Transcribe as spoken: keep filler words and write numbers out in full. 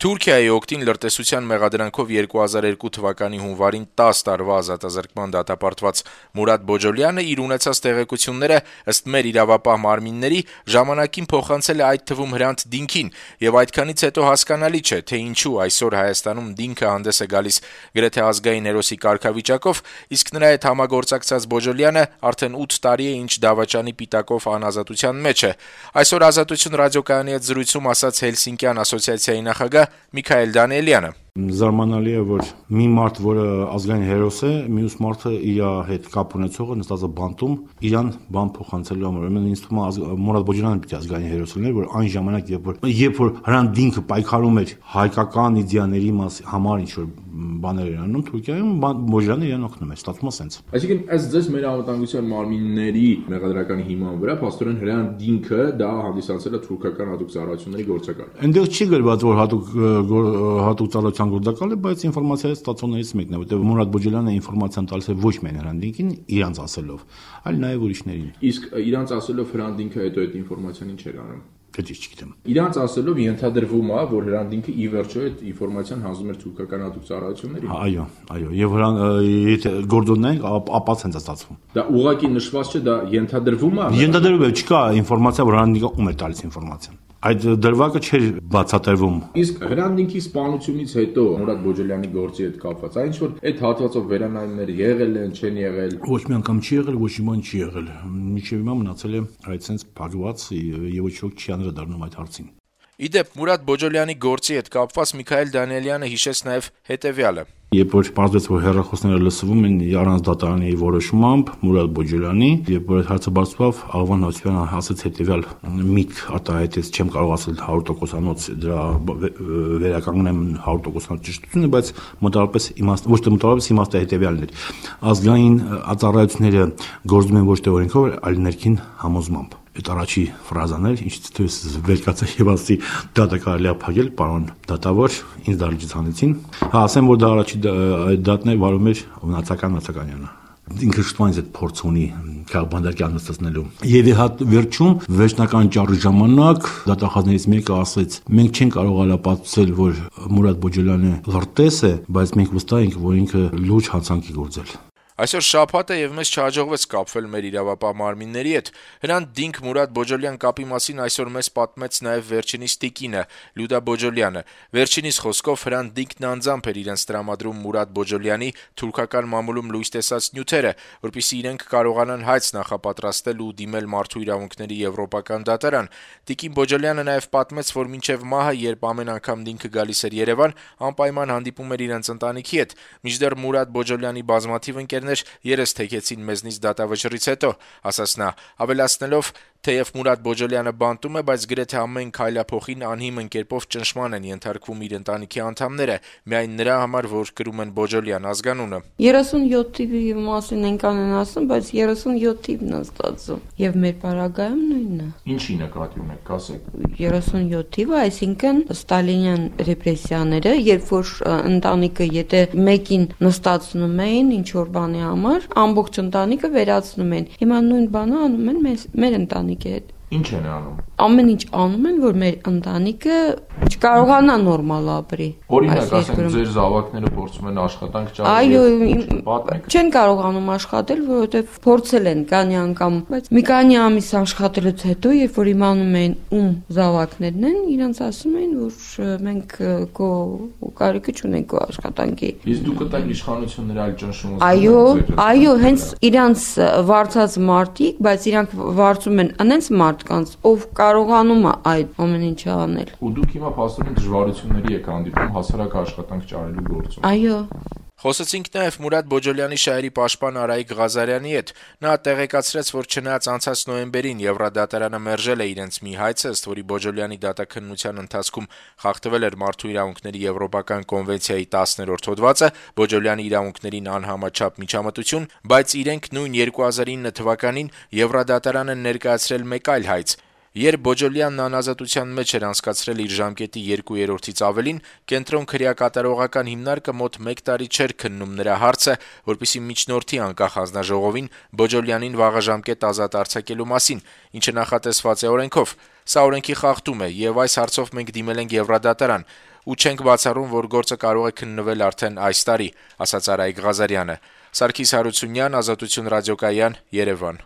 Թուրքիայի օգտին լրտեսության մեղադրանքով երկու հազար երկու թվականի հունվարին տասը տարվա ազատազրկման դատապարտված Մուրադ Բոջոլյանը իր ունեցած տեղեկությունները ըստ մեր իրավապահ մարմինների ժամանակին փոխանցել է այդ թվում Հրանտ Դինքին, եւ այդքանից հետո հասկանալի չէ, թե ինչու այսօր Հայաստանում Դինքը հանդես է գալիս գրեթե ազգային հերոսի կարգավիճակով, իսկ նրա հետ համագործակցած Բոջոլյանը արդեն ութ տարի է ինչ դավաճանի պիտակով անազատության մեջ է։ Այսօր Ազատություն ռադիոկայանի հետ զրույցում ասաց Հելսինկյան ասոցիացիայի նախագահ Միքայել Դանիելյանը։ Զարմանալի է, որ մի մարդ, որը ազգային հերոս է, մյուս մարդը իր հետ կապ ունեցողը նստած է բանտում, իրան բան փոխանցելու համար։ Ուրեմն ինձ թվում է Մուրադ Բոջոլյանը պիտի ազգային հերոս լիներ, որ այն ժամանակ, երբ որ երբ որ Հրանտ Դինքը պայքարում էր հայկական իդեաների համար ինչ որ բաներ էր անում Թուրքիայում, Բոջոլյանը իրան օգնում էր, ստացվում է սենց։ Այսինքն, այս ձեզ մեր անվտանգության մարմինների մեղադրականի հիման վրա փաստորեն Հրանտ Դինքը դա հանդիսացել է թուրքական հատուկ ծառայությունների գործակալ։ Այնտեղ չի գրված, որ հատուկ հատուկ ծառայության գործակալ է, բայց ինֆորմացիայի ստացողներից մեկն է, որտեղ Մուրադ Բոջոլյանը ինֆորմացիան տալիս է ոչ միայն Հրանտ Դինքին, իրանց ասելով, այլ նաև ուրիշներին։ Իսկ իրանց ասելով Հրանտ Դինքը հետո այդ ինֆորմացիան ինչ էր անում։ Չգիտեմ։ Իրանց ասելով ենթադրվում է, որ Հրանտ Դինքը ի վերջո այդ ինֆորմացիան հանձնում էր թուրքական հատուկ ծառայություններին։ Այո, այո, եւ Հրանտ եթե գործոննենք, ապա ցենց է ստացվում։ Դա ուղղակի նշված չէ, դա ենթադրվում է։ Ենթադրվում է, չկա ինֆորմացիա, որ Հրանտ Դինքը ում է տալիս ինֆորմացիան։ Այդ դրվագը չէր բացատրվում։ Իսկ Հրանտ Դինքի սպանությունից հետո Մուրադ Բոջոլյանի գործի հետ կապված այն ինչ որ այդ հատվածով վերանայումներ եղել են, չեն եղել։ Ոչ մի անգամ չի եղել, ոչ մի բան չի եղել։ Մինչև հիմա մնացել է այդ sense փակված եւ ոչ ոք չի անդրադառնում այդ հարցին։ Իդեպ Մուրադ Բոջոլյանի գործի հետ կապված Միքայել Դանիելյանը հիշեց նաև հետևյալը. Երբ որ պարզվեց, որ հեռախոսները լսվում են առանց դատարանի որոշմամբ Մուրադ Բոջոլյանի, երբ որ այդ հարցը բարձրացավ, Աղվան Հովսեփյանը ասաց հետևյալ միք արտահայտեց, չեմ կարող ասել հարյուր տոկոսանոց դրա վերականգնեմ հարյուր տոկոսանոց ճշտությունը, բայց մոտավորապես իմաստ ոչ թե մոտավորապես իմաստը հետևյալն էր. ազգային ծառայությունները գործում են ոչ թե օրենքով, այլ ներքին համոզմամբ։ Այդ առաջի ֆրազան էր, ինչ թույս վերկացա եւ ասի դա դա կարելի է փակել, պարոն դատավոր, ինձ դալիճից հանեցին։ Հա, ասեմ, որ դա առաջի դատն է վարում էր Նացական Նացականյանը։ Ինքը շտուանից այդ փորձ ունի քաղբանդակի անստացնելու։ Եվ իհատ վերջում վերջնական ճառի ժամանակ դատախազներից մեկը ասեց. մենք չենք կարող ապացուցել, որ Մուրադ Բոջոլյանը լրտես է, բայց մենք վստահ ենք, որ ինքը լուրջ հանցանքի գործել։ Այսօր շաբաթ է եւ մեզ չհաջողվեց կապվել մեր իրավապահ մարմինների հետ։ Հրանտ Դինք Մուրադ Բոջոլյան կապի մասին այսօր մեզ պատմեց նաեւ վերջինիս տիկինը Լյուդա Բոջոլյանը։ Վերջինիս խոսքով Հրանտ Դինքն անձամբ էր իրենց տրամադրում Մուրադ Բոջոլյանի թուրքական մամուլում լույս տեսած նյութերը, որպեսզի իրենք կարողանան հայց նախապատրաստել ու դիմել մարդու իրավունքների եվրոպական դատարան։ Տիկին Բոջոլյանը նաեւ պատմեց, որ մինչեւ մահը, երբ ամեն անգամ Դինքը գալիս էր Երևան, անպայման հանդիպում էր իրենց ընտանիքի հետ։ Մինչդեռ Մուրադ Բոջոլյանի բազմաթիվ ընկերներ երես թեքեցին մեզնից դատավճռից հետո, ասաց նա, ավելացնելով, թեև Մուրադ Բոջոլյանը բանտում է, բայց գրեթե ամեն քայլափոխին անհիմն կերպով ճնշման են ենթարկվում իր ընտանիքի անդամները, միայն նրա համար, որ կրում են Բոջոլյան ազգանունը։ երեսունյոթ թիվի մասին ենք անեն ասում, բայց երեսունյոթ թիվն է ստացվում, եւ մեր պարագայում նույնն է։ Ինչի նկատի ունեք, կասեք։ երեսունյոթ թիվը, այսինքն ստալինյան ռեպրեսիաները, երբ որ ընտանիքը եթե մեկին նստացնում էին ինչ որ բանի համար, ամբողջ ընտանիքը վերացնում են։ Հիմա նույն բանը անում են մեր ընտանիքի հետ։ Ինչ են անում։ Ամեն ինչ անում են, որ մեր ընտանիքը չկարողանա նորմալ ապրի։ Օրինակ, ասենք, ձեր զավակները փորձում են աշխատանք ճարել։ Այո, չեն կարողանում աշխատել, որովհետև փորձել են քանի անգամ, բայց մի քանի ամիս աշխատելուց հետո, երբ որ իմանում են ում զավակներն են, իրանց ասում են, որ մենք քո կարիքը չունենք քո աշխատանքի։ Իսկ դուք կտակ իշխանությունները այլ ճնշում։ Այո, այո, հենց իրանց վարձած մարդիկ, բայց իրանք վարձում են անենց մարդկանց, ով կարողանում է այդ ամեն ինչը անել։ Ու դուք հիմա փաստորեն դժվարությունների եք հանդիպում հասարակ աշխատանք ճարելու գործում։ Այո։ Խոսեցինք նաև Մուրադ Բոջոլյանի շահերի պաշտպան Արայիկ Ղազարյանի հետ։ Նա տեղեկացրեց, որ չնայած անցած նոյեմբերին Եվրադատարանը մերժել է իրենց մի հայցը, ըստ որի Բոջոլյանի դատաքննության ընթացքում խախտվել էր Մարդու իրավունքների Եվրոպական կոնվենցիայի տասներորդ հոդվածը, Բոջոլյանի իրավունքներին անհամաչափ միջամտություն, բայց իրենք նույն երկու հազար ինը թվականին Եվրադատարանը ներկայացրել մեկ այլ հայց։ Երբ Բոջոլյանն անազատության մեջ էր անցկացրել իր ժամկետի երկու երրորդից ավելին, կենտրոն քրեակատարողական հիմնարկը մոտ մեկ տարի չէր քննում նրա հարցը, որպեսզի միջնորդի անկախ հանձնաժողովին Բոջոլյանին վաղաժամկետ ազատ արձակելու մասին, ինչը նախատեսված է օրենքով։ Սա օրենքի խախտում է, եւ այս հարցով մենք դիմել ենք Եվրադատարան։ ու չենք բացառում, որ գործը կարող է քննվել արդեն այս տարի, ասաց Արայիկ Ղազարյանը։ Սարգիս Հարությունյան, Ազատություն ռադիոկայան, Երևան։